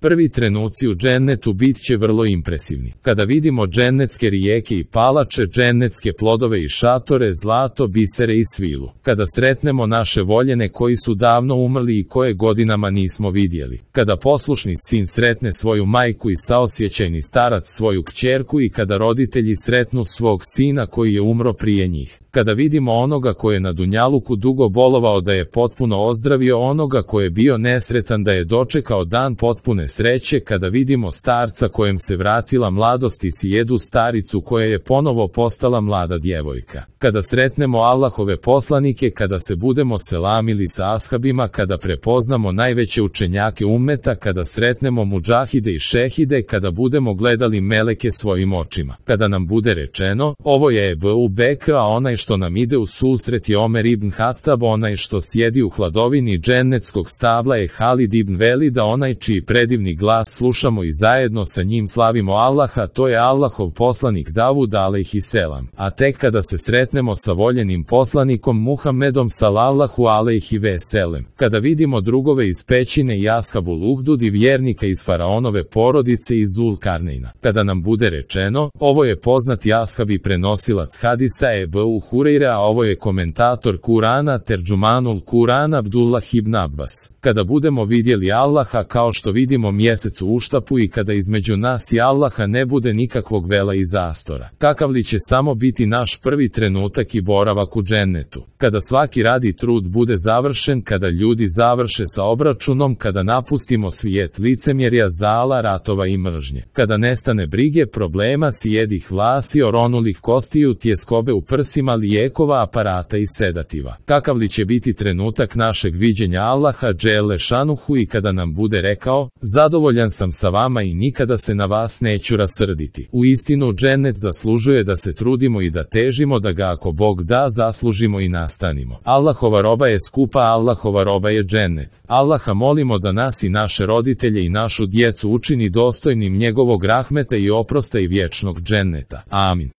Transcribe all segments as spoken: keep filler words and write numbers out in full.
Prvi trenuci u džennetu bit će vrlo impresivni. Kada vidimo džennetske rijeke i palače, džennetske plodove i šatore, zlato, bisere i svilu. Kada sretnemo naše voljene koji su davno umrli i koje godinama nismo vidjeli. Kada poslušni sin sretne svoju majku i saosjećajni starac svoju kćerku i kada roditelji sretnu svog sina koji je umro prije njih. Kada vidimo onoga koji je na dunjaluku dugo bolovao da je potpuno ozdravio, onoga koji je bio nesretan da je dočekao dan potpune sreće, kada vidimo starca kojem se vratila mladost i sjedu staricu koja je ponovo postala mlada djevojka. Kada sretnemo Allahove poslanike, kada se budemo selamili sa ashabima, kada prepoznamo najveće učenjake ummeta, kada sretnemo mudžahide i šehide, kada budemo gledali meleke svojim očima. Kada nam bude rečeno, ovo je Ebu Bekr, a onaj što nam ide u susret je Omer ibn Hatab, onaj što sjedi u hladovini džennetskog stabla je Halid ibn Velid, a onaj čiji predivni glas slušamo i zajedno sa njim slavimo Allaha, to je Allahov poslanik Davud alejhiselam. A tek kada se sretnemo sa voljenim poslanikom Muhammedom sallallahu alejhi ve selem, kada vidimo drugove iz pećine i ashabul uhdud i vjernika iz faraonove porodice i Zulkarneina, kada nam bude rečeno, ovo je poznati ashab i prenosilac hadisa Ebu Hureyre, a ovo je komentator Kurana Terđumanul Kurana Abdullah ibn Abbas. Kada budemo vidjeli Allaha kao što vidimo mjesec u uštapu i kada između nas i Allaha ne bude nikakvog vela i zastora, kakav li će samo biti naš prvi trenutak i boravak u džennetu. Kada svaki rad i trud bude završen, kada ljudi završe sa obračunom, kada napustimo svijet licemjerja, zala, ratova i mržnje, kada nestane brige, problema, sjedih vlasi, oronulih kostiju, tjeskobe u prsima, lijekova, aparata i sedativa. Kakav li će biti trenutak našeg viđenja Allaha dželle šanuhu i kada nam bude rekao, zadovoljan sam sa vama i nikada se na vas neću rasrditi. U istinu džennet zaslužuje da se trudimo i da težimo da ga ako Bog da zaslužimo i nastanimo. Allahova roba je skupa, Allahova roba je džennet. Allaha molimo da nas i naše roditelje i našu djecu učini dostojnim njegovog rahmeta i oprosta i vječnog dženneta. Amin.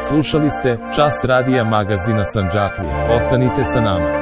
Slušali ste Čas radija magazina Sandžaklije. Ostanite sa nama.